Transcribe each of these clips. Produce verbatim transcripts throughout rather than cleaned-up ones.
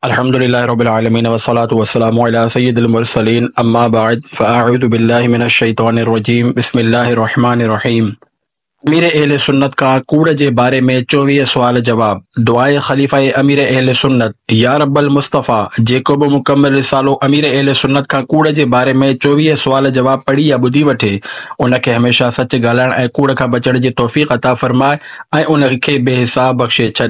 अल्हम्दुलिल्लाहि रब्बिल आलमीन वस्सलातु वस्सलामु अला सय्यिदिल मुरसलीन अम्मा बाद फ़अऊज़ु बिल्लाहि मिनश शैतानिर रजीम बिस्मिल्लाहिर रहमानिर रहीम। अमीर अहले सुन्नत खां कूड़ जे बारे में चोवीह सवाल जवाब। दुआए ख़लीफ़ा अमीर अहले सुन्नत। या रब्बल मुस्तफ़ा, जेको बि मुकम्मल रिसालो अमीर अहले सुन्नत खां कूड़ जे बारे में चोवीह सवाल जवाब पढ़ी या ॿुधी वठे, उनखे हमेशह सच ॻाल्हाइण ऐं कूड़ खां बचण जी तौफ़ीक़ अता फरमाए ऐं उनखे बेहिसाब बख़्शे छॾ।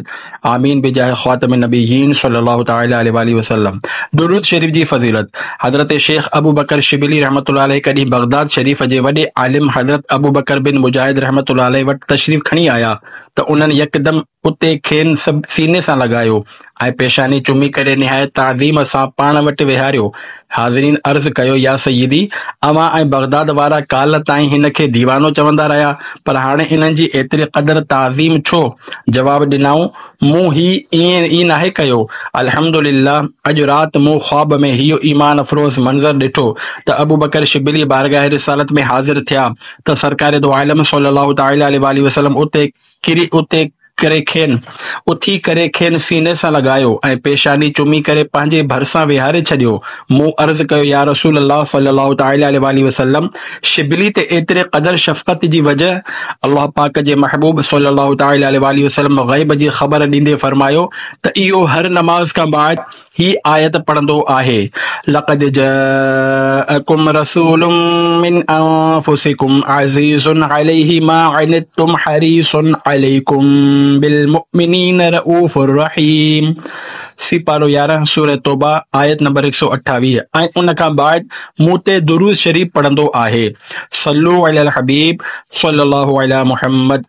आमीन बिजाह ख़ातम नबीयीन सल्लल्लाहु तआला अलैहि वसल्लम। दुरूद शरीफ़ जी फ़ज़ीलत। हज़रत शेख अबू बकर शिबली रहमतुल्लाह अलैह कॾहिं बग़दाद शरीफ़ जे वॾे आलिम हज़रत अबू बकर बिन मुजाहिद रहमतुल्लाह अलैह वटि तशरीफ़ खणी आया त उन्हनि यकदम उते खेनि सभु सीने सां लॻायो ऐं पेशानी चुमी करे निहायत ताज़ीम सां पाण वटि वेहारियो। हाज़रीन अर्ज़ कयो, या सय्यदी, अवां ऐं बग़दाद वारा काल ताईं हिन खे दीवानो चवंदा रहिया, पर हाणे इन्हनि जी एतिरी क़दर ताज़ीम छो? जवाब ॾिनऊं, मूं ही ईअं ई नाहे कयो। अल्हम्दुलिल्लाह, अॼु राति मूं ख़्वाब में इहो ईमान अफ़रोज़ मंज़र ॾिठो त अबू बकर शिबली बारगाह रिसालत में हाज़िर थिया त सरकार दो आलम सल्लल्लाहु तआला अलैहि वसल्लम उते किरी उते करे खेनि उथी करे खेनि सीने सां लॻायो ऐं पेशानी चुमी करे पंहिंजे भरिसां वेहारे छॾियो। मूं अर्ज़ कयो, या रसूल अल्लाह सल्लल्लाहु तआला अलैहि वसल्लम, शिबली ते एतिरे क़दर शफ़क़त जी वजह? अल्लाह पाक जे महबूब सल्लल्लाहु तआला अलैहि वसल्लम ग़ैब जी ख़बर ॾींदे फ़रमायो त इहो हर नमाज़ खां बाद ही आयत पढ़ंदो आहे, लक़द जाअकुम रसूलुम मिन अनफुसिकुम अज़ीज़ुन अलैहि मा अनित्तुम हरीसुन अलैकुम बिलमुमिनीन रऊफुर रहीम। सिपारो यारहं सूरह तौबा आयत नंबर हिकु सौ अठावीह। ऐं उन खां बाद मूं ते दुरूद शरीफ़ पढ़ंदो आहे। सल्लू अलल हबीब सल्लल्लाहु अला मुहम्मद।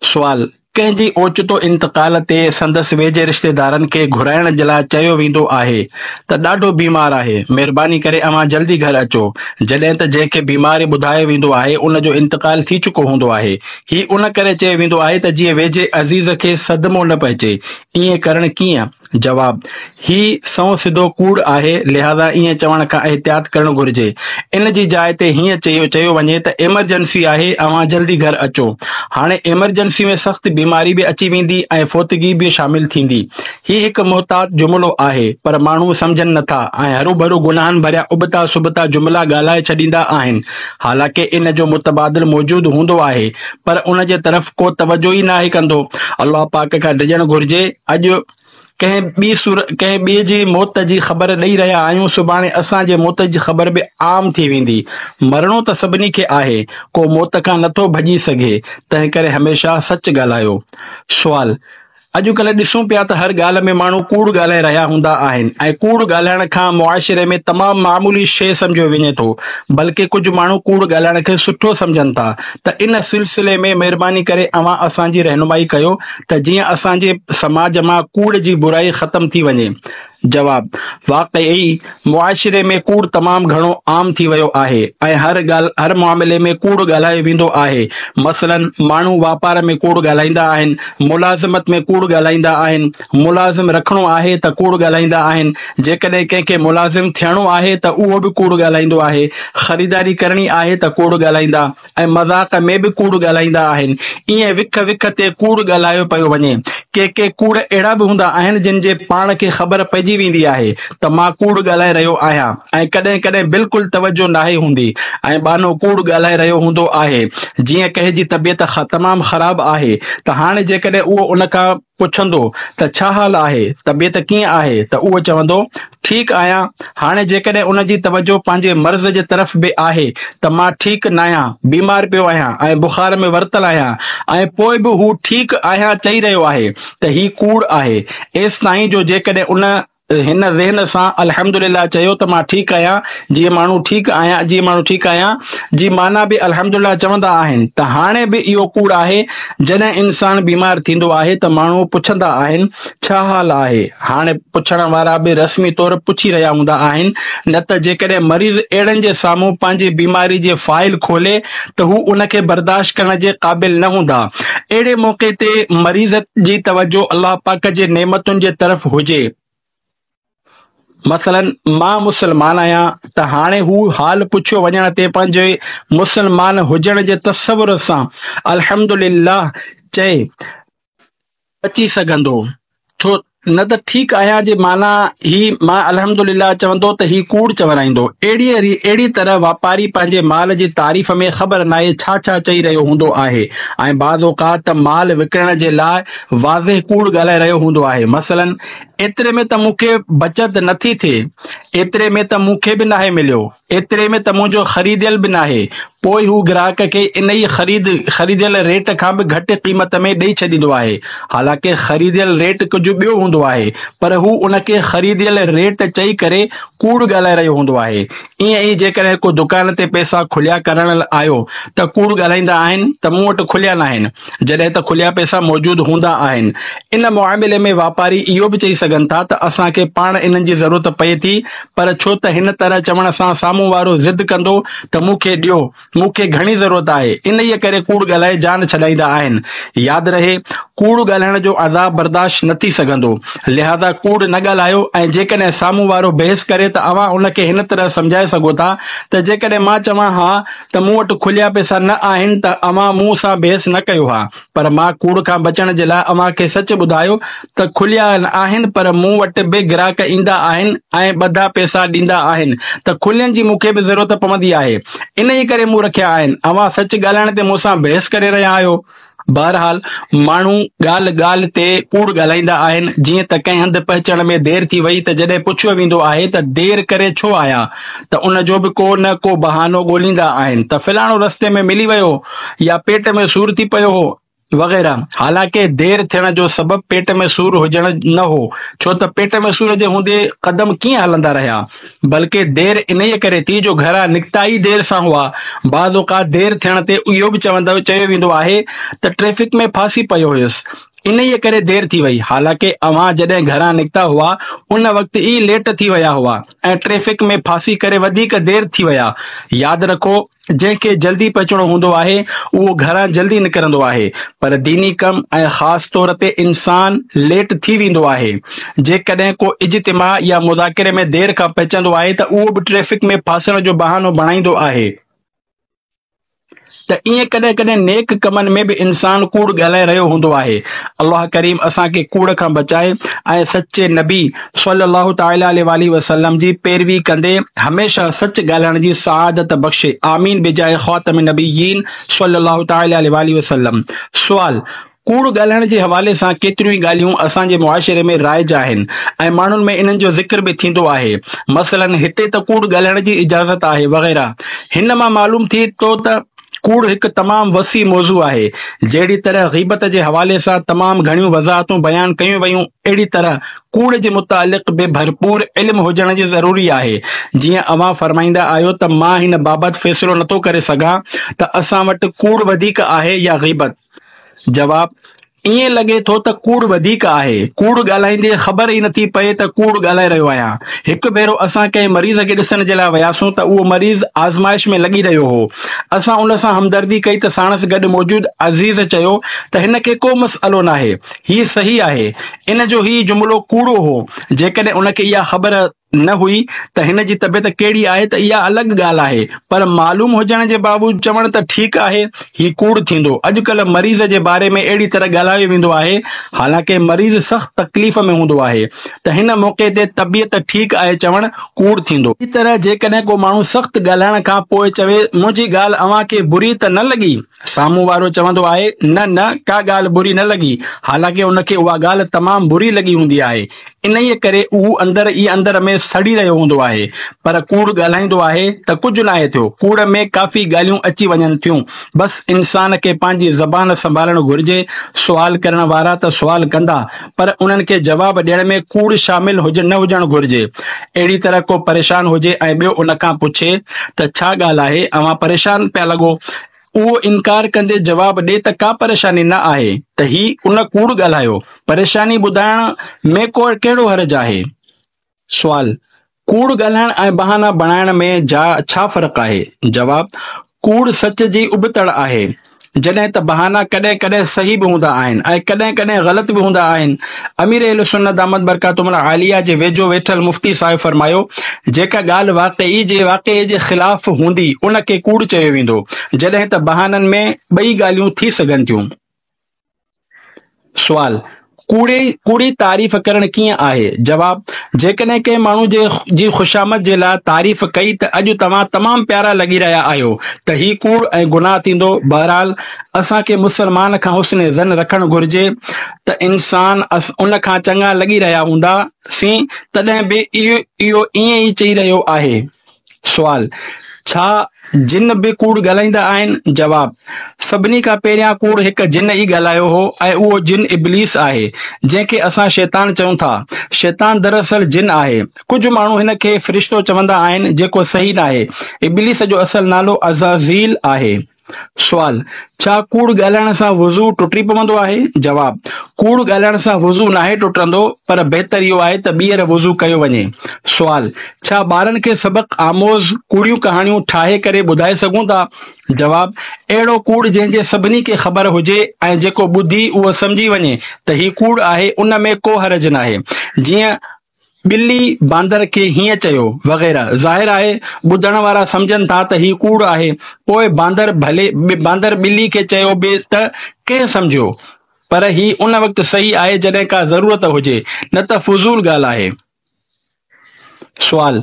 सवाल, कंहिंजी ओचितो इंतकाल ते संदसि वेझे रिश्तेदारनि खे घुराइण जे लाइ चयो वेंदो आहे त ॾाढो बीमार आहे, महिरबानी करे अव्हां जल्दी घर अचो। जॾहिं त जंहिंखे बीमारी ॿुधायो वेंदो आहे उन जो इंतकाल थी चुको हूंदो आहे। ही उन करे चयो वेंदो आहे त जीअं वेझे अज़ीज़ खे सदमो न पहुचे। ईअं करणु कीअं? जवाब, ही सौ सिधो कूड़ आहे, लिहाज़ा ईअं चवण खां एहतियात करणु घुरिजे। इन जी जाइ ते हीअं चयो चयो वञे त इमरजेंसी आहे, अव्हां जल्दी घर अचो। हाणे इमरजेंसी में सख़्त बीमारी बि अची वेंदी ऐं फौतगी बि शामिल थींदी। ही हिकु मोहतात जुमिलो आहे, पर माण्हू सम्झनि नथा ऐं हरूभरू गुनाहनि भरिया उबता सुबता जुमिला ॻाल्हाए छॾींदा आहिनि। हालांकि इन जो मुतबादिल मौजूदु हूंदो आहे, पर उन जे तरफ़ को तवजो ई नाहे कंदो। अल्लाह पाक खां डिॼणु घुरिजे। अॼु कंहिं ॿी सूर कंहिं ॿिए जी मौत जी ख़बर ॾेई रहिया आहियूं, सुभाणे असांजे मौत जी ख़बर बि आम थी वेंदी। मरणो त सभिनी खे आहे, को मौत खां नथो भॼी सघे, तंहिं करे हमेशह सच ॻाल्हायो। सवाल, अॼुकल्ह ॾिसूं पिया त हर ॻाल्हि में माण्हू कूड़ ॻाल्हाए रहिया हूंदा आहिनि ऐं कूड़ ॻाल्हाइण खां मुआशिरे में तमामु मामूली शइ सम्झियो वञे थो, बल्कि कुझु माण्हू कूड़ ॻाल्हाइण खे सुठो सम्झनि था। त इन सिलसिले में महिरबानी करे अव्हां असांजी रहनुमाई कयो त जीअं असांजे समाज मां कूड़ जी बुराई ख़त्म थी वञे। जवाब, वाक़ई मुआशिरे में कूड़ तमामु घणो आम थी वियो आहे ऐं हर ॻाल्हि हर मामले में कूड़ ॻाल्हायो वेंदो आहे। मसलन, माण्हू वापार में कूड़ ॻाल्हाईंदा आहिनि, मुलाज़मत में कूड़ ॻाल्हाईंदा आहिनि, मुलाज़िम रखणो आहे त कूड़ ॻाल्हाईंदा आहिनि, जेकॾहिं कंहिंखे मुलाज़िम थियणो आहे त उहो बि कूड़ ॻाल्हाईंदो आहे, ख़रीदारी करणी आहे त कूड़ ॻाल्हाईंदा ऐं मज़ाक में बि कूड़ ॻाल्हाईंदा आहिनि। ईअं विख विख ते कूड़ ॻाल्हायो पियो वञे। के के कूड़ अहिड़ा बि हूंदा आहिनि जिन जे पाण खे ख़बर पइजी वेंदी आहे त मां कूड़ ॻाल्हाए रहियो आहियां ऐं कॾहिं कॾहिं बिल्कुलु तवजो नाहे हूंदी ऐं बानो कूड़ ॻाल्हाए रहियो हूंदो आहे। जीअं कंहिंजी तबियत तमामु ख़राबु आहे त हाणे जेकॾहिं उहो उन खां पुछंदो त छा हाल आहे, तबियत कीअं आहे, त उहो चवंदो ठीकु आहियां। हाणे जेकॾहिं उन जी तवजो पंहिंजे मर्ज़ जे तरफ़ बि आहे त मां ठीकु न आहियां, बीमार पियो आहियां ऐं बुखार में वरितल आहियां ऐं पोइ बि हू ठीकु आहियां चई रहियो आहे त ही कूड़ आहे। एसि ताईं जो जेकॾहिं उन हिन ज़हन सां अल्हम्दुलिल्लाह चयो त मां ठीकु आहियां, जीअं माण्हू ठीकु आहियां जीअं माण्हू ठीकु आहियां जी माना बि अल्हम्दुलिल्लाह चवंदा आहिनि त हाणे बि इहो कूड़ आहे। जॾहिं इंसान बीमार थींदो आहे त माण्हू पुछंदा आहिनि छा हाल आहे। हाणे पुछण वारा बि रस्मी तौर पुछी रहिया हूंदा आहिनि, न त जेकॾहिं मरीज़ अहिड़नि जे साम्हूं पंहिंजी बीमारी जे फ़ाइल खोले त हू उनखे बर्दाश्त करण जे क़ाबिल न हूंदा। अहिड़े मौक़े ते मरीज़ जी तवजो अल्लाह पाक जे नेमतुनि जे तरफ़ हुजे। मसलन, मां मुसलमान आहियां त हाणे हू हाल पुछियो वञण ते पंहिंजे मुसलमान हुजण जे तसवुर सां अल्हम्दुलिल्लाह चए बची सघंदो। थो نه ته ٺيڪ آهيان جي معنيٰ هي مان الحمدلله چوندو ته هي ڪوڙ چورائيندو. اهڙيء اهڙي طرح واپاري پنهنجي مال جي تعريف ۾ خبر ناهي ڇا ڇا چئي رهيو هوندو آهي ۽ بعض اوقات ته مال وڪڻڻ جي لاء واضح ڪوڙ ڳالهائي رهيو هوندو آهي. مثلاً ايتري ۾ ته مون کي بچت نٿي ٿئي، ايتري ۾ ته مون کي به ناهي مليو، ايتري ۾ ته منهنجو خريديل به ناهي. پوء هو گراهڪ کي انهيء خريد خريديل ريٽ کان به گهٽ قيمت ۾ ڏئي ڇڏيندو آهي. حالانڪه خريديل ريٽ ڪجهه ٻيو هوندو آهي، پر هو ان کي خريديل ريٽ چئي ڪري ڪوڙ ڳالهائي رهيو هوندو آهي. ائين ئي جيڪڏهن ڪو دڪان تي پئسا کليا ڪرڻ آيو ته ڪوڙ ڳالهائيندا آهن ته مون وٽ کليا ناهن، جڏهن ته کليا پئسا موجود هوندا آهن. ان معاملي ۾ واپاري اهو به چئي سگهن ٿا ته اسان کي پاڻ انهن جي ضرورت پئي ٿي، پر ڇو ته هن طرح چوڻ سان سامهون وارو ضد ڪندو ته مون کي ڏيو، مون کي گهڻي ضرورت آهي، انهيء ڪري ڪوڙ ڳالهائي جان ڇڏائيندا آهن. ياد رهي، ڪوڙ ڳالهائڻ جو عذاب برداشت نه ٿي سگهندو، لهٰذا ڪوڙ نه ڳالهايو ۽ جيڪڏهن سامهون وارو بحث ڪري ته اوهان ان کي هن طرح سمجهائي سگهو ٿا ته جيڪڏهن مان چوان ها ته مون وٽ کليا پئسا نه آهن ته اوهان مون سان بحث نه ڪيو ها. پر مان ڪوڙ کان بچڻ جي لاء اوهان کي سچ ٻڌايو ته کليا آهن پر مون وٽ به گراهڪ ايندا آهن ۽ ٻڌا پئسا ڏيندا آهن ته کلين جي مون کي به ضرورت پوندي آهي انهيء ڪري مون رکيا آهن. اوهان سچ ڳالهائڻ تي مون سان بحث ڪري رهيا آهيو. بهرحال ماڻهو ڳالهه ڳالهه تي ڪوڙ ڳالهائيندا آهن جيئن ته ڪنهن هنڌ پهچڻ ۾ دير ٿي وئي ته جڏهن پڇيو ويندو آهي ته دير ڪري ڇو آيا ته ان جو به ڪو نه ڪو بهانو ڳوليندا آهن ته فلاڻو رستي ۾ ملي ويو يا پيٽ ۾ سور ٿي پيو هو وغيره. حالانڪه دير ٿيڻ جو سبب پيٽ ۾ سور هجڻ نه هو، ڇو ته پيٽ ۾ سور جي هوندي قدم ڪيئن هلندا رهيا، بلڪه دير انهيء ڪري ٿي جو گهران نڪتا ئي دير سان هئا. بعض اوقات دير ٿيڻ تي اهو به چوندو چيو ويندو آهي ته ٽريفڪ ۾ ڦاسي پيو هيس، انهيء ڪري دير ٿي وئي. حالانڪه اوهان جڏهن گهران نڪتا هئا، ان وقت ئي ليٽ ٿي ويا هئا ۽ ٽريفڪ ۾ ڦاسي ڪري وڌيڪ دير ٿي ويا. ياد رکو! جنهن کي جلدي پهچڻو هوندو آهي، اهو گهران جلدي نڪرندو آهي، پر ديني ڪم ۽ خاص طور تي انسان ليٽ ٿي ويندو آهي. جيڪڏهن ڪو اجتماع يا مذاڪري ۾ دير کان پهچندو آهي ته اهو به ٽريفڪ ۾ ڦاسڻ جو بهانو بڻائيندو آهي. ته ائين ڪڏهن ڪڏهن نيڪ ڪمن ۾ به انسان ڪوڙ ڳالهائي رهيو هوندو آهي. الله ڪريم اسان کي ڪوڙ کان بچائي ۽ سچي نبي صلّي الله تعالٰي عليه واٰله وسلّم جي پيروي ڪندي هميشه سچ ڳالهائڻ جي سعادت بخشي آمين بجاه خاتم النبيين صلّي الله تعالٰي عليه واٰله وسلّم. سوال، ڪوڙ ڳالهائڻ جي حوالي سان ڪيتريون ئي ڳالهيون اسان جي معاشري ۾ رائج آهن ۽ ماڻهن ۾ انهن جو ذڪر به ٿيندو آهي مثلاً هتي ته ڪوڙ ڳالهائڻ جي اجازت آهي وغيره هن مان معلوم ٿئي ٿو ته ڪوڙ هڪ تمام وسيع موضوع آهي. جهڙي طرح غيبت جي حوالي سان تمام گهڻيون وضاحتون بيان ڪيون ويون اهڙي طرح ڪوڙ جي متعلق به ڀرپور علم هجڻ جي ضروري آهي. جيئن اوهان فرمائيندا آهيو ته مان هن بابت فيصلو نٿو ڪري سگهان ته اسان وٽ ڪوڙ وڌيڪ آهي يا غيبت. جواب، ائين لڳي ٿو ته ڪوڙ وڌيڪ آهي. ڪوڙ ڳالهائيندي خبر ئي نٿي پئي ته ڪوڙ ڳالهائي رهيو آهيان. هڪ ڀيرو اسان ڪنهن مريض کي ڏسڻ جي لاء وياسون ته اهو مريض آزمائش ۾ لڳي رهيو هو. اسان ان سان همدردي ڪئي ته ساڻس گڏ موجود عزيز چيو ته هن کي ڪو مسئلو ناهي. هي صحيح آهي. ان جو هي جملو ڪوڙو هو. جيڪڏهن ان کي اها خبر نه هئي ته هن جي طبيعت ڪهڙي آهي ته اها الڳ ڳالهه آهي پر معلوم هجڻ جي باوجود چوڻ ته ٺيڪ آهي هي ڪوڙ ٿيندو. اڄڪلهه مريض جي باري ۾ اهڙي طرح ڳالهايو ويندو آهي حالانڪه مريض سخت تڪليف ۾ هوندو آهي ته هن موقعي تي طبيعت ٺيڪ آهي چوڻ ڪوڙ ٿيندو. اهڙي طرح جيڪڏهن ڪو ماڻهو سخت ڳالهائڻ کان پوء چوي منهنجي ڳالهه اوهان کي بري ته نه لڳي؟ سامهون وارو چوندو آهي نه نه ڪا ڳالهه بري نه لڳي حالانڪه ان کي اها ڳالهه تمام بري لڳي هوندي آهي. انهيء ڪري اهو اندر ئي اندر ۾ سڙي رهيو هوندو آهي، پر ڪوڙ ڳالهائيندو آهي ته ڪجهه ناهي ٿيو. ڪوڙ ۾ ڪافي ڳالهيون اچي وڃن ٿيون. بس انسان کي پنهنجي زبان سنڀالڻ گهرجي. سوال ڪرڻ وارا ته سوال ڪندا، پر انهن کي جواب ڏيڻ ۾ ڪوڙ شامل نه هجڻ گهرجي. اهڙي طرح ڪو پريشان هجي ۽ ٻيو ان کان پڇي ته ڇا ڳالهه آهي، اوهان پريشان پيا لڳو؟ اهو انڪار ڪندي جواب ڏي ته ڪا پريشاني نه آهي ته هي ان ڪوڙ ڳالهايو، پريشاني ٻڌائڻ ۾ ڪو ڪهڙو حرج آهي؟ سوال، ڪوڙ ڳالهائڻ ۽ بهانا بڻائڻ ۾ جا ڇا فرق آهي؟ جواب، ڪوڙ سچ جي ابتڙ آهي، جڏهن ته بهانا ڪڏهن ڪڏهن صحيح به هوندا آهن ۽ ڪڏهن ڪڏهن غلط به هوندا آهن. امير اهلسنت دامت برڪاتهم العاليه جي ويجهو ويٺل مفتي صاحب فرمايو، جيڪا ڳالهه واقعي جي واقعي جي خلاف هوندي ان کي ڪوڙ چيو ويندو، جڏهن ته بهانن ۾ ٻئي ڳالهيون ٿي سگهن ٿيون. سوال، ڪوڙي ڪوڙي تعريف ڪرڻ ڪيئن آهي؟ جواب، جيڪڏهن ڪنهن ماڻهو جي جي خوشامد جي لاء تعريف ڪئي ته اڄ توهان تمام پيارا لڳي رهيا آهيو ته هي ڪوڙ ۽ گناهه ٿيندو. بهرحال اسان کي مسلمان کان حسن ظن رکڻ گهرجي ته انسان ان کان چڱا لڳي رهيا هوندا سين تڏهن به اهو ائين ئي چئي رهيو آهي. سوال، ڇا جن به ڪوڙ ڳالهائيندا آهن؟ جواب، سڀني کان پهريان ڪوڙ هڪ جن ئي ڳالهايو هو ۽ اهو جن ابليس آهي، جنهن کي اسان شيطان چئون ٿا. شيطان دراصل جن آهي. ڪجهه ماڻهو هن کي فرشتو چوندا آهن، جيڪو صحيح ناهي. ابليس جو اصل نالو عزازيل آهي. سوال، ڇا ڪوڙ ڳالهائڻ سان وضو ٽٽي پوندو آهي؟ جواب، ڪوڙ ڳالهائڻ سان وضو ناهي ٽٽندو، پر بهتر اهو آهي ته ٻيهر وضو ڪيو وڃي. سوال، ڇا ٻارن کي سبق آموز ڪوڙيون ڪهاڻيون ٺاهي ڪري ٻڌائي سگهون ٿا؟ جواب، اهڙو ڪوڙ جنهن جي سڀني کي خبر هجي ۽ جيڪو ٻڌي اهو سمجهي وڃي ته هي ڪوڙ آهي ان ۾ ڪو حرج ناهي. جيئن ٻلي باندر کي هيئن چيو وغيره. ظاهر آهي ٻڌڻ وارا سمجهن ٿا ته هي ڪوڙ آهي، پوء باندر ڀلي باندر ٻلي کي چيو به ته ڪنهن سمجهيو؟ پر هي ان وقت صحيح آهي جڏهن ڪا ضرورت هجي، نه ته فضول ڳالهه آهي. سوال،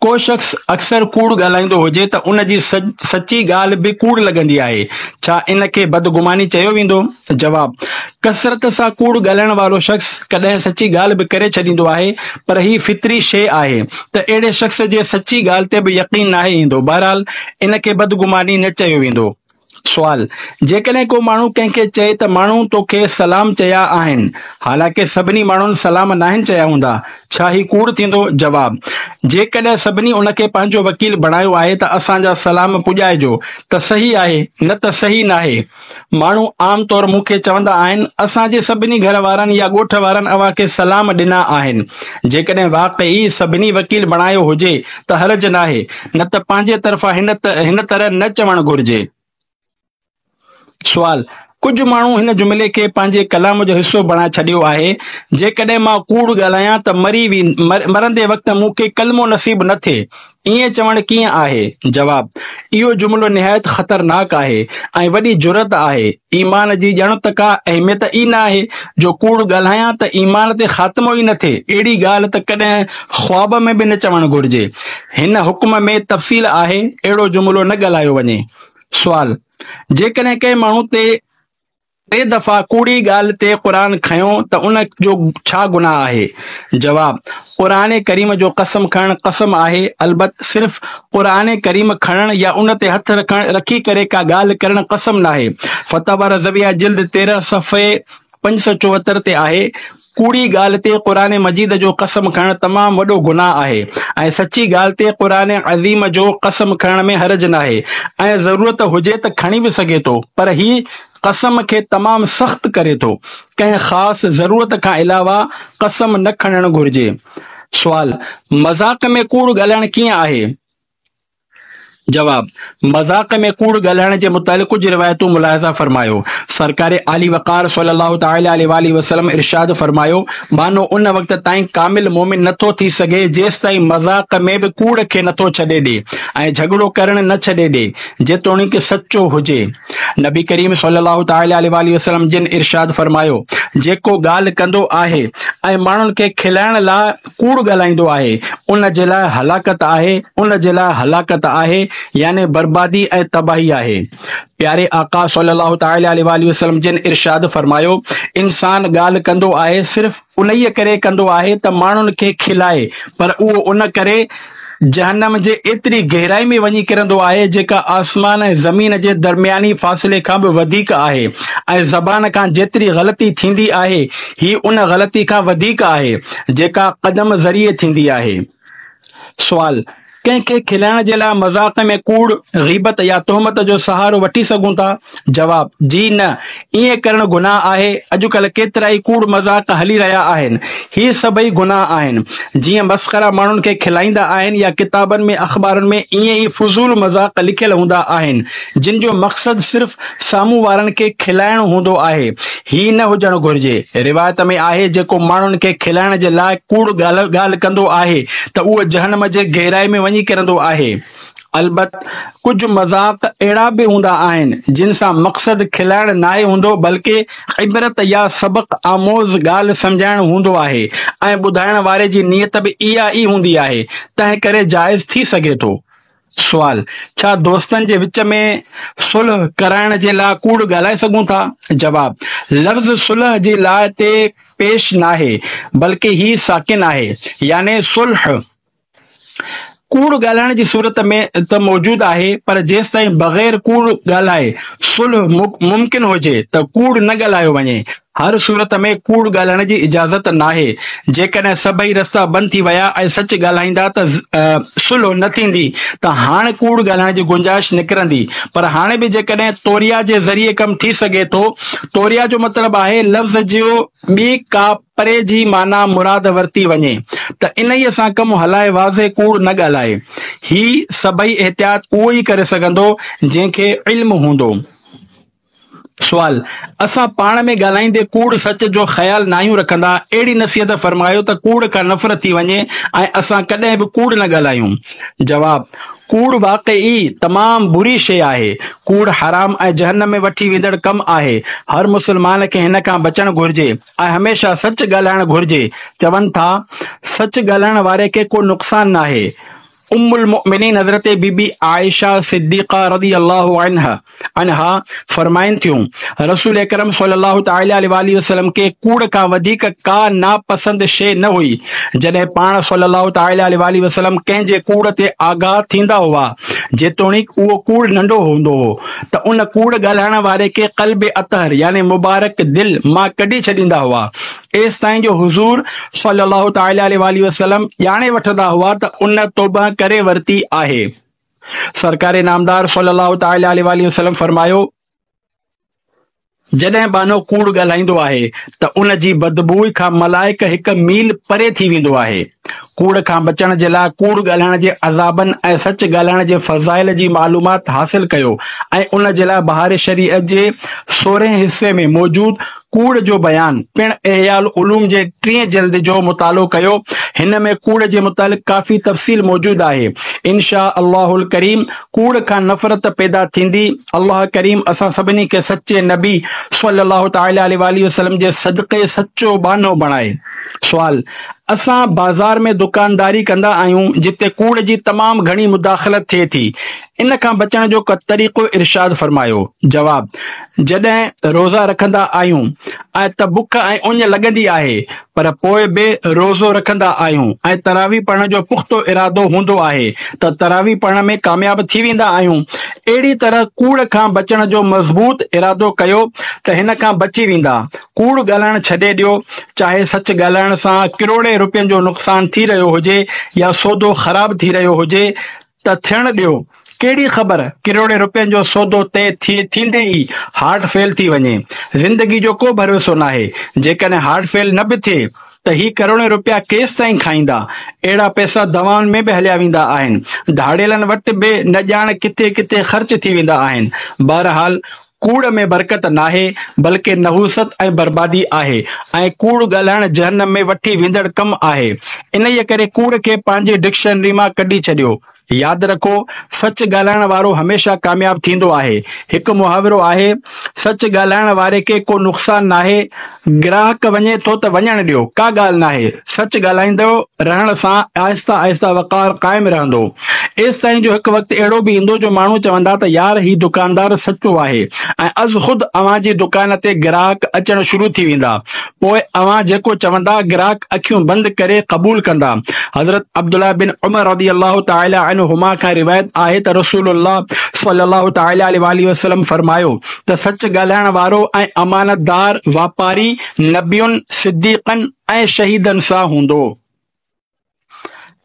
ڪو شخص اڪثر ڪوڙ ڳالهائيندو هجي ته ان جي سچي ڳالهه به ڪوڙ لڳندي آهي، ڇا ان کي بدگماني چيو ويندو؟ جواب، ڪثرت سان ڪوڙ ڳالهائڻ وارو شخص ڪڏهن سچي ڳالهه به ڪري ڇڏيندو آهي، پر هي فطري شيء آهي ته اهڙي شخص جي سچي ڳالهه تي به يقين ناهي ايندو، بهرحال ان کي بدگماني نه چيو ويندو. سوال، جيڪڏهن ڪو ماڻهو ڪنهن کي چئي ته ماڻهو توکي سلام چيا آهن، حالانڪه سڀني ماڻهن سلام ناهن چيا هوندا، ڇا هي ڪوڙ ٿيندو؟ جواب، جيڪڏهن سڀني ان کي پنهنجو وڪيل بڻايو آهي ته اسان جا سلام پڄائجو ته صحيح آهي، نه ته صحيح ناهي. ماڻهو عام طور مون کي چوندا آهن، اسان جي سڀني گهر وارن يا ڳوٺ وارن اوهان کي سلام ڏنا آهن. جيڪڏهن واقعي سڀني وڪيل بڻايو هجي ته حرج ناهي، نه ته پنهنجي طرفان هن هن طرح نه چوڻ گهرجي. سوال، ڪجهه ماڻهو هن جملي کي پنهنجي ڪلام جو حصو بڻائي ڇڏيو آهي، جيڪڏهن مان ڪوڙ ڳالهايان ته مري مرندي وقت مون کي ڪلمو نصيب نه ٿئي، ائين چوڻ ڪيئن آهي؟ جواب، اهو جملو نهايت خطرناڪ آهي ۽ وڏي جرئت آهي. ايمان جي ڄڻ ته ڪا اهميت ئي نه آهي جو ڪوڙ ڳالهايان ته ايمان تي خاتمو ئي نه ٿئي، اهڙي ڳالهه ته ڪڏهن خواب ۾ به نه چوڻ گهرجي. هن حڪم ۾ تفصيل آهي، اهڙو جملو نه ڳالهايو وڃي. سوال، جيڪڏهن ڪنهن ماڻهو تي ٽي دفعا ڪوڙي ڳالهه تي قرآن کنيو ته ان جو ڇا گناهه آهي؟ جواب، قرآن ڪريم جو قسم کڻڻ قسم آهي، البت صرف قرآن ڪريم کڻڻ يا ان تي هٿ رکڻ رکي ڪري ڪا ڳالهه ڪرڻ قسم ناهي. فتاويٰ رضويه جلد تيرهن صفحي پنج سؤ چوهتر تي آهي، ڪوڙي ڳالهه تي قرآن مجيد جو قسم کڻڻ تمام وڏو گناهه آهي ۽ سچي ڳالهه تي قرآن عظيم جو قسم کڻڻ ۾ حرج ناهي ۽ ضرورت هجي ته کڻي به سگهي ٿو پر هي قسم کي تمام سخت ڪري ٿو، ڪنهن خاص ضرورت کان علاوه قسم نه کڻڻ گهرجي. سوال، مذاق ۾ ڪوڙ ڳالهائڻ ڪيئن آهي؟ جواب، مذاق ۾ ڪوڙ ڳالهائڻ جي متعلق ڪجهه روايتون ملاحظه فرمايو. سرڪار عالي وقار صلي الله تعالٰي عليه واٰله وسلم ارشاد فرمايو، ٻانهو ان وقت تائين ڪامل مؤمن نه ٿو ٿي سگهي جيستائين مذاق ۾ به ڪوڙ کي نه ٿو ڇڏي ڏي ۽ جهڳڙو ڪرڻ نه ڇڏي ڏي جيتوڻيڪ سچو هجي. نبي ڪريم صلي الله تعالٰي عليه واٰله وسلم جن ارشاد فرمايو، جيڪو ڳالهه ڪندو آهي ۽ ماڻهن کي کلائڻ لاء ڪوڙ ڳالهائيندو آهي، ان جي لاء هلاڪت آهي، ان جي لاء هلاڪت آهي، يعني بربادي ۽ تباهي آهي. پياري آقا صلي الله تعالٰي عليه واٰله وسلم جن ارشاد فرمايو، انسان ڳالهه ڪندو آهي صرف انهيء ڪري ڪندو آهي ته ماڻهن کي کلائي، پر اهو ان ڪري جهنم جي ايتري گهرائي ۾ وڃي ڪرندو آهي جيڪا آسمان ۽ زمين جي درمياني فاصلي کان به وڌيڪ آهي ۽ زبان کان جيتري غلطي ٿيندي آهي هي ان غلطي کان وڌيڪ آهي جيڪا قدم ذريعي ٿيندي آهي. سوال، ڪنهن کي کلائڻ جي لاء مذاق ۾ ڪوڙ، غيبت يا تهمت جو سهارو وٺي سگهون ٿا؟ جواب، جي نه، ائين ڪرڻ گناهه آهي، اڄڪلهه ڪيترائي ڪوڙ مذاق هلي رهيا آهن، هي سڀئي گناهه آهن، جيئن مسخرا ماڻهن کي کلائيندا آهن يا ڪتابن ۾ اخبارن ۾ ائين ئي فضول مذاق لکيل هوندا آهن، جن جو مقصد صرف سامهون وارن کي کلائڻ هوندو آهي، هي نه هجڻ گهرجي، روايت ۾ آهي جيڪو ماڻهن کي کلائڻ جي لاء ڪوڙ ڳالهه ڪندو آهي ته اهو جهنم جي گهرائي ۾ وڃي ڪرندو آهي. البت ڪجهه مذاق اهڙا به هوندا آهن، جن سان مقصد کلائڻ ناهي هوندو، بلڪه عبرت يا سبق آموز ڳالهه سمجهائڻ هوندو آهي ۽ ٻڌائڻ واري جي نيت به اها ئي هوندي آهي، تنهن ڪري جائز ٿي سگهي ٿو. سوال، ڇا دوستن جي وچ ۾ صلح ڪرائڻ جي لاء ڪوڙ ڳالهائي سگهون ٿا؟ جواب، لفظ صلح جي لاء تي پيش ناهي، بلڪه هي ساڪن آهي، يعني صلح ڪوڙ ڳالهائڻ جي صورت ۾ ته موجود آهي، پر جيستائين بغير ڪوڙ ڳالهائي صلح ممڪن هجي ته ڪوڙ نه ڳالهايو وڃي. هر صورت ۾ ڪوڙ ڳالهائڻ جي اجازت ناهي. جيڪڏهن سڀئي رستا بند ٿي ويا ۽ سچ ڳالهائيندا ته صلح نه ٿيندي ته هاڻ ڪوڙ ڳالهائڻ جي گنجائش نڪرندي، پر هاڻي به جيڪڏهن توريا جي ذريعي ڪم ٿي سگهي ٿو. توريا جو مطلب آهي لفظ جو ٻي ڪا پري جي معنيٰ مراد ورتي وڃي ته انهيء سان ڪم هلائي واضح ڪوڙ نه ڳالهائي. هي سڀئي احتياط اهو ئي ڪري سگهندو جنهن کي علم هوندو. سوال، اسان پاڻ ۾ ڳالهائيندي ڪوڙ سچ جو خيال ناهيون رکندا، اهڙي نصيحت فرمايو ته ڪوڙ کان نفرت ٿي وڃي ۽ اسان ڪڏهن به ڪوڙ نه ڳالهايون. جواب، ڪوڙ واقعي تمام بري شيء آهي. ڪوڙ حرام ۽ جهنم ۾ وٺي ويندڙ ڪم آهي. هر مسلمان کي هن کان بچڻ گهرجي ۽ هميشه سچ ڳالهائڻ گهرجي. چون ٿا، سچ ڳالهائڻ واري کي ڪو نقصان ناهي. ام المؤمنين حضرت بي بي عائشه صديقه رضي الله عنها عنها فرمائن ٿيون، رسول اڪرم صلي الله تعالٰي عليه واٰله وسلم کي ڪوڙ کان وڌيڪ ڪا ناپسند شيء نه هئي. جڏهن پاڻ صلي الله تعالٰي عليه واٰله وسلم ڪنهن جي ڪوڙ تي آگاهه ٿيندا هئا، جيتوڻيڪ اهو ڪوڙ ننڍو هوندو هو، ته ان ڪوڙ ڳالهائڻ واري کي قلب اطهر يعني مبارڪ دل مان ڪڍي ڇڏيندا هئا، ايستائين جو حضور صلي الله تعالٰي عليه واٰله وسلم ڄاڻي وٺندا هئا ته ان توبه ڪري ورتي آهي. سرڪار نامدار صلي الله تعالٰي عليه واٰله وسلم فرمايو، جڏهن ٻانهو ڪوڙ ڳالهائيندو آهي ته ان جي بدبوء کان ملائڪ هڪ ميل پري ٿي ويندو آهي. ڪوڙ کان بچڻ جي لاء ڪوڙ ڳالهائڻ جي عذابن ۽ سچ ڳالهائڻ جي فضائل جي معلومات حاصل ڪيو ۽ ان جي لاء بهار شريعت جي سورهين حصي ۾ موجود ڪوڙ جو بيان پڻ احياء العلوم جي ٽئين جلد جو مطالعو ڪيو. هن ۾ ڪوڙ جي متعلق ڪافي تفصيل موجود آهي. ان شاء الله الڪريم ڪوڙ کان نفرت پيدا ٿيندي. الله ڪريم اسان سڀني کي سچي نبي صلي الله تعالٰي عليه واٰله وسلم جي صدقي سچو ٻانهو بڻائي. سوال، اسان بازار ۾ دڪانداري ڪندا آهيون جتي ڪوڙ جي تمام گهڻي مداخلت ٿئي ٿي ان کان بچڻ جو ڪو طريقو ارشاد فرمايو. جواب، جڏهن روزا رکندا آهيون ۽ ته بک ۽ اڃ لڳندي آهي پر پوء به روزو رکندا آهيون ۽ تراويح پڙهڻ جو پختو ارادو هوندو آهي ته تراويح پڙهڻ ۾ ڪامياب ٿي ويندا آهيون اهڙي طرح ڪوڙ کان بچڻ جو مضبوط ارادو ڪيو ته هن کان بچي ويندا ڪوڙ ڳالهائڻ ڇڏي ڏيو چاهي سچ ڳالهائڻ سان ڪروڙين روپين جو نقصان ٿي رهيو هجي يا سودو خراب ٿي رهيو هجي ته ٿيڻ ڏيو، ڪهڙي خبر ڪروڙين روپين جو سودو طئي ٿيندي ئي هارٽ فيل ٿي وڃي. زندگي جو ڪو ڀروسو ناهي، جيڪڏهن هارٽ فيل نه به ٿئي ته هي ڪروڙين روپيا ڪيستائين کائيندا؟ اهڙا پئسا دوائن ۾ به هليا ويندا آهن، ڌاڙيلن وٽ به نه ڄاڻ ڪٿي ڪٿي خرچ ٿي ويندا آهن. بهرحال ڪوڙ ۾ برڪت ناهي، بلڪه نحوست ۽ بربادي آهي ۽ ڪوڙ ڳالهائڻ جهنم ۾ وٺي ويندڙ ڪم آهي. انهيء ڪري ڪوڙ کي پنهنجي ڊڪشنري مان ڪڍي ڇڏيو. ياد رکو، سچ ڳالهائڻ وارو هميشه ڪامياب ٿيندو آهي. هڪ محاورو آهي، سچ ڳالهائڻ واري کي ڪو نقصان ناهي، گراهڪ وڃي ٿو ته وڃڻ ڏيو، ڪا ڳالهه ناهي. سچ ڳالهائيندو رهڻ سان آهستي آهستي وقار قائم رهندو. ايستائين جو هڪ وقت اهڙو به ايندو جو ماڻهو چوندا ته يار هي دڪاندار سچو آهي ۽ از خود اوهان جي دڪان تي گراهڪ اچڻ شروع ٿي ويندا پوء اوهان جيڪو چوندا گراهڪ اکيون بند ڪري قبول ڪندا. حضرت عبدالله بن عمر رضي الله تعالٰي عنهما کان روايت آهي ته رسول الله صلي الله تعالٰي عليه واٰله وسلم فرمايو ته سچ ڳالهائڻ وارو ۽ امانتدار واپاري نبين، صديقن ۽ شهيدن سان هوندو.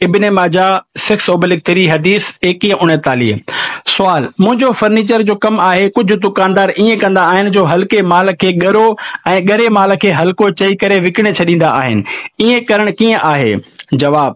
ابن ماجه سڪس اوبلڪ ٿري حديث ايڪيهه اڻيتاليهه. سوال، منهنجو فرنيچر جو ڪم آهي ڪجهه دڪاندار ائين ڪندا آهن جو هلڪي مال کي ڳرو ۽ ڳري مال کي هلڪو چئي ڪري وڪڻي ڇڏيندا آهن ائين ڪرڻ ڪيئن آهي؟ جواب،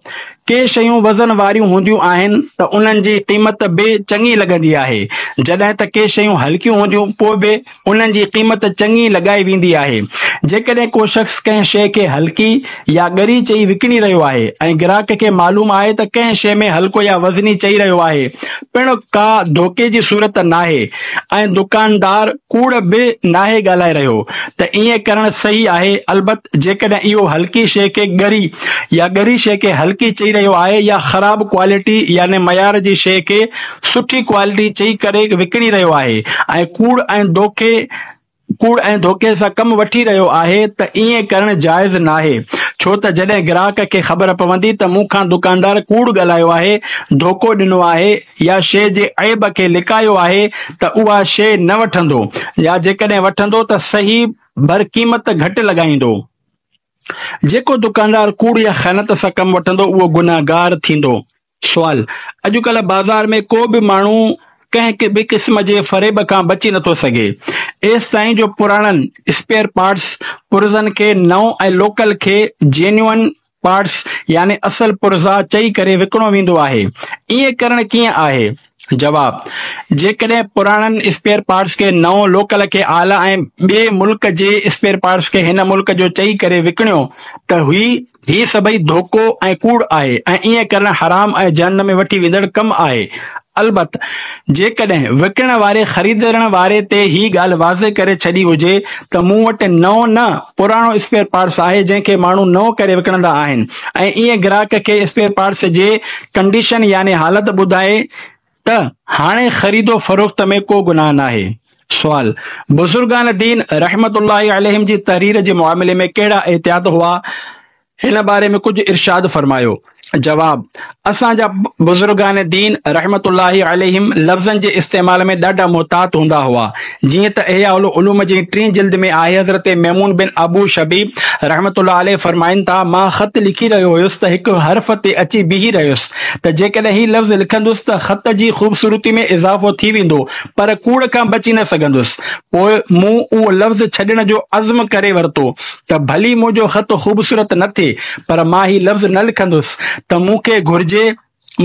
ڪي شيون وزن واريون هونديون آهن ته انهن جي قيمت به چڱي لڳندي آهي، جڏهن ته ڪي شيون هلڪيون هونديون پوء به انهن جي قيمت چڱي لڳائي ويندي آهي. جيڪڏهن ڪو شخص ڪنهن شيء کي هلڪي يا ڳري چئي وڪڻي رهيو آهي ۽ گراهڪ کي معلوم آهي ته ڪنهن شيء ۾ هلڪو يا وزني چئي رهيو آهي پڻ ڪا ڌوڪي جي صورت ناهي ۽ دڪاندار ڪوڙ به ناهي ڳالهائي رهيو ته ائين ڪرڻ صحيح آهي البت جيڪڏهن اهو هلڪي شيء کي ڳري يا ڳري شيء کي هلڪي چئي رهيو آهي يا خراب ڪوالٽي يعني معيار جي شيء کي سٺي ڪوالٽي چئي ڪري وڪڻي رهيو آهي ۽ ڪوڙ ۽ دوکي ڪوڙ ۽ ڌوڪي سان ڪم وٺي رهيو آهي ته ائين ڪرڻ جائز ناهي ڇو ته جڏهن گراهڪ کي خبر پوندي ته مون کان دڪاندار ڪوڙ ڳالهايو آهي، ڌوڪو ڏنو آهي يا شيء جي عيب کي لڪايو آهي ته اها شيء نه وٺندو يا جيڪڏهن وٺندو ته صحيح بر قيمت گهٽ لڳائيندو. جيڪو دڪاندار ڪوڙ يا خيانت سان ڪم وٺندو اهو گنهگار ٿيندو. سوال، اڄڪلهه بازار ۾ ڪو به ماڻهو ڪنهن به قسم جي فريب کان بچي نٿو سگهي. ايستائين جو پراڻن اسپيئر پارٽس پرزن کي نئون ۽ لوڪل کي جينيوئن پارٽس يعني اصل پرزا چئي ڪري وڪڻو ويندو آهي. ائين ڪرڻ ڪيئن آهي؟ جواب، جيڪڏهن پراڻن اسپيئر پارٽس کي نئون، لوڪل کي اعليٰ ۽ ٻئي ملڪ جي اسپيئر پارٽس کي هن ملڪ جو چئي ڪري وڪڻيو ته هي هي سڀئي ڌوڪو ۽ ڪوڙ آهي ۽ ائين ڪرڻ حرام ۽ جهنم ۾ وٺي ويندڙ ڪم آهي. البت جيڪڏهن وڪڻڻ واري خريدڻ واري تي هي ڳالهه واضح ڪري ڇڏي هجي ته مون وٽ نئون نه پراڻو اسپيئر پارٽس آهي جنهن کي ماڻهو نئون ڪري وڪڻندا آهن ۽ ائين گراهڪ کي اسپيئر پارٽس جي ڪنڊيشن يعني حالت ٻڌائي ته هاڻي خريد و فروخت ۾ ڪو گناهه ناهي. سوال، بزرگان دين رحمة الله عليهم جي تحرير جي معاملي ۾ ڪهڙا احتياط هئا؟ هن باري ۾ ڪجهه ارشاد فرمايو. جواب، اسان جا بزرگان دين رحمة الله عليهم لفظن جي استعمال ۾ ڏاڍا محتاط هوندا هئا. جيئن ته احياء العلوم جي ٽين جلد ۾ آهي حضرت ميمون بن ابو شبيب رحمة الله عليه فرمائن ٿا، مان خط لکي رهيو هيس ته هڪ حرف تي اچي بيهي رهيس ته جيڪڏهن هي لفظ لکندس ته خط جي خوبصورتي ۾ اضافو ٿي ويندو پر ڪوڙ کان بچي نه سگهندس. پوء مون اهو لفظ ڇڏڻ جو عزم ڪري ورتو ته ڀلي منهنجو خط خوبصورت نه ٿئي پر مان هي لفظ نه لکندس ته مون کي گهرجي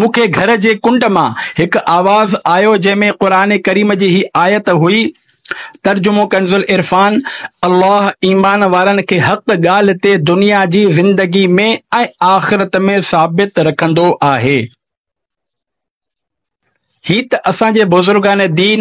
مون کي گهر جي ڪنڊ مان هڪ آواز آيو جنهن ۾ قرآن ڪريم جي هي آيت هئي، ترجمو ڪنزالعرفان، الله ايمان وارن کي حق ڳالهه تي دنيا جي زندگي ۾ ۽ آخرت ۾ ثابت رکندو آهي. هي ته اسان جي بزرگان دين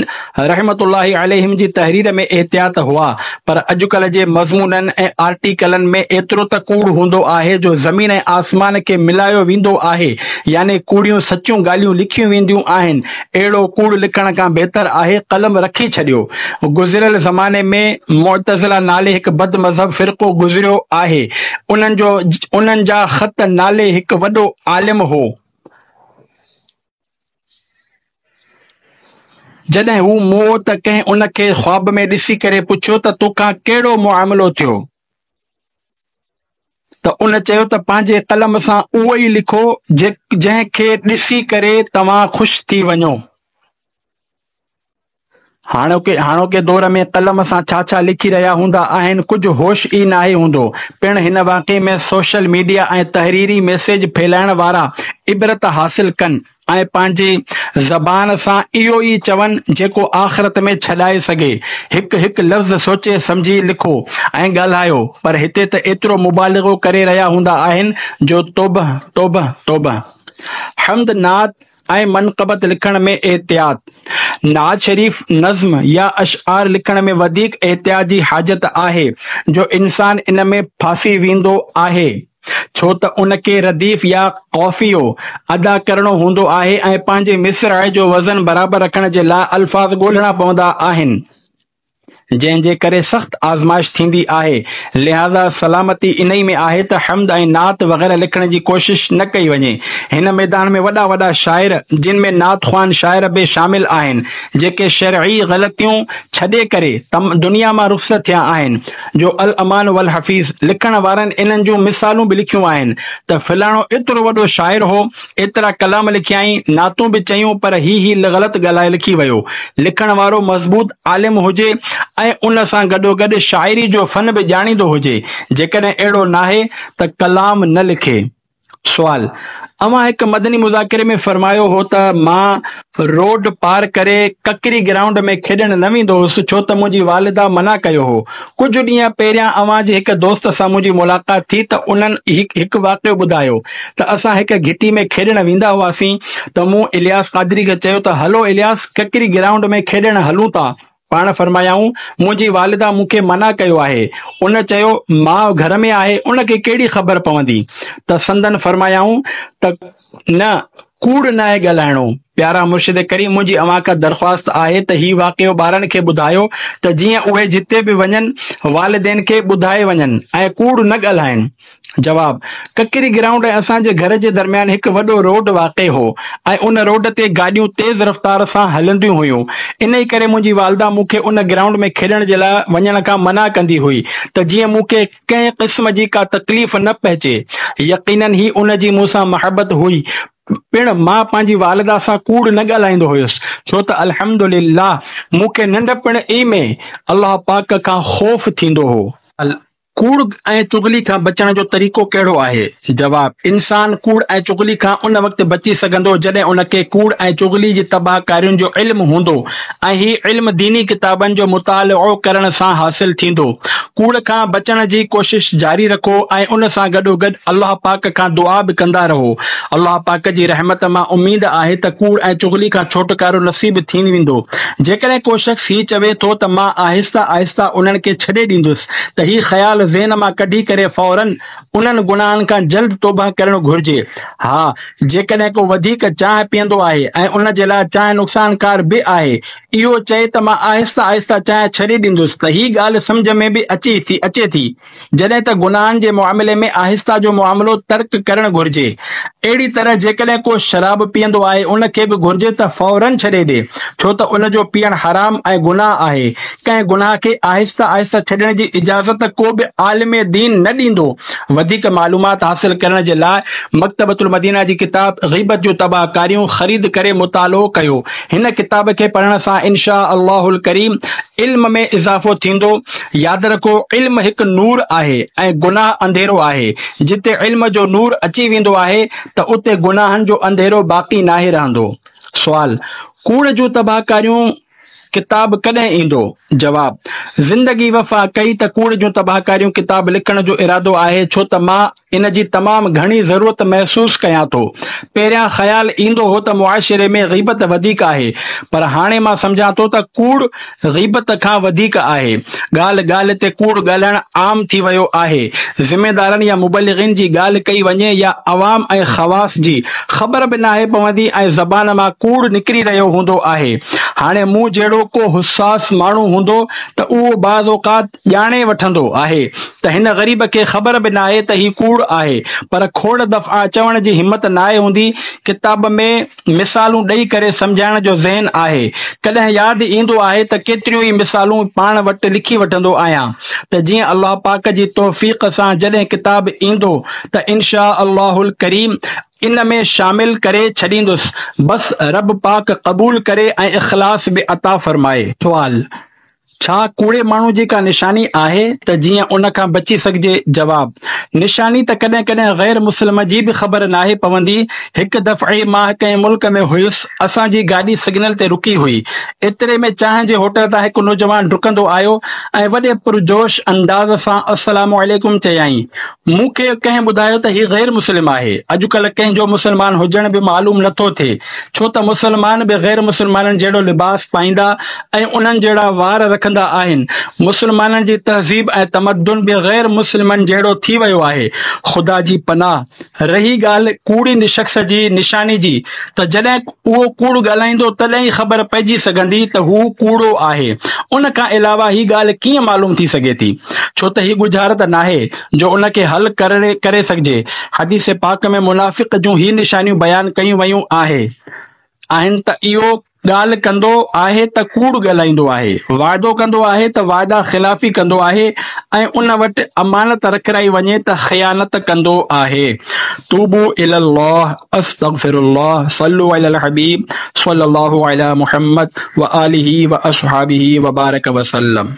رحمة الله عليهم جي تحرير ۾ احتياط هئا پر اڄڪلهه جي مضمونن ۽ آرٽيڪلن ۾ ايترو ته ڪوڙ هوندو آهي جو زمين ۽ آسمان کي ملايو ويندو آهي يعني ڪوڙيون سچيون ڳالهيون لکيون وينديون آهن اهڙو ڪوڙ لکڻ کان بهتر آهي قلم رکي ڇڏيو گذريل زماني ۾ معتزله نالي هڪ بد مذهب فرقو گذريو آهي انهن جو انهن جا خط نالي هڪ وڏو عالم هو. جڏهن هو مئو ته ڪنهن ان کي خواب ۾ ڏسي ڪري پڇيو ته توکان ڪهڙو معاملو ٿيو؟ ته ان چيو ته پنهنجي قلم سان اهو ئي لکو جنهن کي ڏسي ڪري توهان خوش ٿي وڃو. هاڻوڪي هاڻوڪي دور ۾ قلم سان ڇا ڇا لکي رهيا هوندا آهن ڪجهه هوش ئي ناهي هوندو. پڻ هن واقعي ۾ سوشل ميڊيا ۽ تحريري ميسيج ڦهلائڻ وارا عبرت حاصل ڪن ۽ پنهنجي زبان سان اهو ئي چون جيڪو آخرت ۾ ڇڏائي سگهي. هڪ هڪ لفظ سوچي سمجهي لکو ۽ ڳالهايو پر هتي ته ايترو مبالغو ڪري رهيا هوندا آهن جو توبه توبه توبه. حمد نعت ۽ منقبت لکڻ ۾ احتياط، نعت شريف، نظم يا اشعار لکڻ ۾ وڌيڪ احتياط جي حاجت آهي جو انسان ان ۾ ڦاسي ويندو آهي ڇو ته ان کي رديف يا قافيو ادا ڪرڻو هوندو آهي ۽ پنهنجي مصرع جو وزن برابر رکڻ جي لاء الفاظ ڳولڻا پوندا آهن. جنهن جي ڪري سخت آزمائش ٿيندي آهي، لهٰذا سلامتي انهي ۾ آهي ته حمد ۽ نعت وغيره لکڻ جي ڪوشش نه ڪئي وڃي. هن ميدان ۾ وڏا وڏا شاعر جن ۾ نعت خوان شاعر به شامل آهن، جيڪي شرعي غلطيون ڇڏي ڪري دنيا مان رخصت ٿيا آهن، جو الامان والحفيظ لکڻ وارن انهن جون مثالون به لکيون آهن ته فلاڻو ايترو وڏو شاعر هو، ايترا ڪلام لکيائين، نعتون به چيون پر هي هي غلط ڳالهائي لکي ويو. لکڻ وارو مضبوط عالم هجي ۽ ان سان گڏوگڏ شاعري جو فن به ڄاڻيندو هجي. جيڪڏهن اهڙو ناهي ته ڪلام نه لکي. سوال، اوهان هڪ مدني مذاڪري ۾ فرمايو هو ته مان روڊ پار ڪري ڪڪري گرائونڊ ۾ کيڏڻ نه ويندو هوس ڇو ته منهنجي والده منع ڪيو هو. ڪجهه ڏينهن پهريان اوهان جي هڪ دوست سان منهنجي ملاقات ٿي ته انهن هڪ واقعو ٻڌايو ته اسان هڪ گهٽي ۾ کيڏڻ ويندا هئاسين ته مون الياس قادري کي چيو ته هلو الياس ڪڪري گرائونڊ ۾ کيڏڻ هلون ٿا. پاڻ فرمايائون، منهنجي والده مون کي منع ڪيو آهي. ان چيو، ماء گهر ۾ آهي ان کي ڪهڙي خبر پوندي؟ ته سندن فرمايائون ته نه ڪوڙ ناهي ڳالهائڻو. پيارا مرشد ڪريم منهنجي اوهان کان درخواست آهي ته هي واقعو ٻارن کي ٻڌايو ته جيئن اهي جتي به وڃن والدين کي ٻڌائي وڃن ۽ ڪوڙ نه ڳالهائن. جواب، ڪڪري گرائونڊ ۽ اسان جي گهر جي درميان هڪ وڏو روڊ واقع هو ۽ ان روڊ تي گاڏيون تيز رفتار سان هلنديون هيون انهي ڪري منهنجي والده مون کي ان گرائونڊ ۾ کيڏڻ جي لاء وڃڻ کان منع ڪندي هئي ته جيئن مون کي ڪنهن قسم جي ڪا تڪليف نه پهچي. يقينن هي ان جي مون سان محبت هئي پڻ مان پنهنجي والده سان ڪوڙ نه ڳالهائيندو هيس ڇو ته الحمدلله مون کي ننڍپڻ ئي ۾ الله پاڪ کان خوف ٿيندو هو. ڪوڙ ۽ چغلي کان بچڻ جو طريقو ڪهڙو آهي؟ جواب، انسان ڪوڙ ۽ چغلي کان ان وقت بچي سگهندو جڏهن ان کي ڪوڙ ۽ چغلي جي تباهه ڪارين جو علم هوندو ۽ هي علم ديني ڪتابن جو مطالعو ڪرڻ سان حاصل ٿيندو. ڪوڙ کان بچڻ جي ڪوشش جاري رکو ۽ ان سان گڏوگڏ الله پاڪ کان دعا به ڪندا رهو. الله پاڪ جي رحمت مان اميد آهي ته ڪوڙ ۽ چغلي کان ڇوٽڪارو نصيب ٿي ويندو. جيڪڏهن ڪو شخص هي چوي ٿو ته مان آهسته آهسته انهن کي ڇڏي ڏيندس ته هي خيال ذهن مان ڪڍي ڪري فوراً انهن گناهن کان جلد توبه ڪرڻ گهرجي. ها جيڪڏهن ڪو وڌيڪ چانهه پيئندو آهي ۽ ان جي لاء چانهه نقصانڪار به آهي، اهو چئي ته مان آهسته آهسته چانهه ڇڏي ڏيندس ته هي ڳالهه سمجهه ۾ به اچي ٿي اچي ٿي. جڏهن ته گناهن جي معاملي ۾ آهسته جو معاملو ترڪ ڪرڻ گهرجي. اهڙي طرح جيڪڏهن ڪو شراب پيئندو آهي ان کي به گهرجي ته فوراً ڇڏي ڏي، ڇو ته ان جو پيئڻ حرام ۽ گناهه آهي. ڪنهن گناهه کي آهسته آهسته ڇڏڻ جي اجازت ڪو به عالم دين نه ڏيندو. وڌيڪ معلومات حاصل ڪرڻ جي لاء مڪتبة المدينه جي ڪتاب غيبت جون تباهه ڪاريون خريد ڪري مطالعو ڪيو. هن ڪتاب کي پڙهڻ سان ان شآء الله الڪريم علم ۾ اضافو ٿيندو. ياد رکو علم هڪ نور آهي ۽ گناهه انڌيرو آهي. جتي علم جو نور اچي ويندو آهي ته اتي گناهن جو انڌيرو باقي ناهي رهندو. سوال، ڪوڙ جون تباهڪاريون ڪتاب ڪڏهن ايندو؟ جواب، زندگي وفا ڪئي ته ڪوڙ جون تباهڪاريون ڪتاب لکڻ جو ارادو آهي ڇو ته مان ان جي تمام گهڻي ضرورت محسوس ڪيان ٿو. پهريان خيال ايندو هو ته معاشري ۾ غيبت وڌيڪ آهي پر هاڻي مان سمجهان ٿو ته ڪوڙ غيبت کان وڌيڪ آهي. ڳالهه ڳالهه تي ڪوڙ ڳالهائڻ عام ٿي ويو آهي. ذميدارن يا مبلغين جي ڳالهه ڪئي وڃي يا عوام ۽ خواص جي، خبر به ناهي پوندي ۽ زبان مان ڪوڙ نڪري رهيو هوندو آهي. هاڻي مون جهڙو ڪو حساس ماڻهو هوندو ته اهو بعض اوقات ڄاڻي وٺندو آهي ته هن غريب کي خبر به ناهي ته هي ڪوڙ آهي پر کوڙ دفعا چوڻ جي همت ناهي هوندي. ڪتاب ۾ مثالون ڏئي ڪري سمجهائڻ جو ذهن آهي. ڪڏهن ياد ايندو آهي ته ڪيتريون ئي مثالون پاڻ وٽ لکي وٺندو آهيان ته جيئن الله پاڪ جي توفيق سان جڏهن ڪتاب ايندو ته انشاء الله الڪريم ان ۾ شامل ڪري ڇڏيندس بس رب پاڪ قبول ڪري ۽ اخلاص به عطا فرمائي. سوال، ڇا ڪوڙي ماڻهو جي ڪا نشاني آهي ته جيئن ان کان بچي سگهجي؟ جواب، نشاني ته ڪڏهن ڪڏهن غير مسلم جي به خبر ناهي پوندي. هڪ دفعي مان ڪنهن ملڪ ۾ هيس، اسان جي گاڏي سگنل تي رڪي هئي. ايتري ۾ چانهه جي هوٽل تان هڪ نوجوان ڊڪندو آيو ۽ وڏي پرجوش انداز سان السلام عليڪم چيائين. مون کي ڪنهن ٻڌايو ته هي غير مسلم آهي. اڄڪلهه ڪنهن جو مسلمان هجڻ به معلوم نه ٿو ٿئي، ڇو ته مسلمان به غير مسلمانن جهڙو لباس پائيندا ۽ انهن جهڙا وار رکندا آهن. مسلمانن جي تهذيب ۽ تمدن به غير مسلمن جهڙو ٿي ويو آهي. خدا جي پناهه. رهي ڳالهه ڪوڙي شخص جي نشاني جي ته جڏهن اهو ڪوڙ ڳالهائيندو تڏهن ئي خبر پئجي سگهندي ته هو ڪوڙو آهي. ان کان علاوه هي ڳالهه ڪيئن معلوم ٿي سگهي ٿي؟ ڇو ته هي ڳجهارت ناهي جو ان کي حل ڪري سگهجي. حديث پاڪ ۾ منافق جون هي نشانيون بيان ڪيون ويون آهن ته اهو ڳالهه ڪندو آهي ته ڪوڙ ڳالهائيندو آهي، وعدو ڪندو آهي ته وعده خلافي ڪندو آهي ۽ ان وٽ امانت رکرائي وڃي ته خيانت ڪندو آهي. توبو الي الله استغفر الله صلو علي الحبيب صلي الله علي محمد وآله واصحابه وبارڪ وسلم.